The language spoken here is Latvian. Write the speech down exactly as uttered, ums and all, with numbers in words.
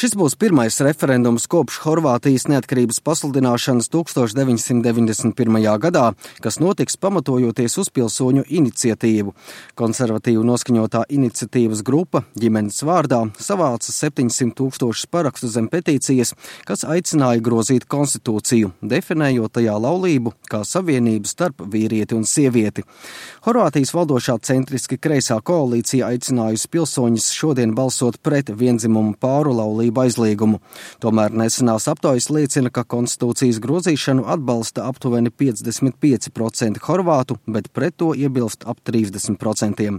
Šis būs pirmais referendums kopš Horvātijas neatkarības pasludināšanas tukstovš deviņsimt deviņdesmit pirmajā gadā, kas notiks pamatojoties uz pilsoņu iniciatīvu. Konservatīvu noskaņotā iniciatīvas grupa ģimenes vārdā savāca septiņsimt tūkstošus parakstu zem petīcijas, kas aicināja grozīt konstitūciju, definējot tajā laulību kā savienību starp vīrieti un sievieti. Horvātijas valdošā centriski kreisā koalīcija aicinājusi pilsoņus šodien balsot pret viendzimumu pāru laulību aizliegumu. Tomēr nesenās aptaujas liecina, ka konstitūcijas grozīšanu atbalsta aptuveni piecdesmit pieci procenti horvātu, bet pret to iebilst ap trīsdesmit procenti.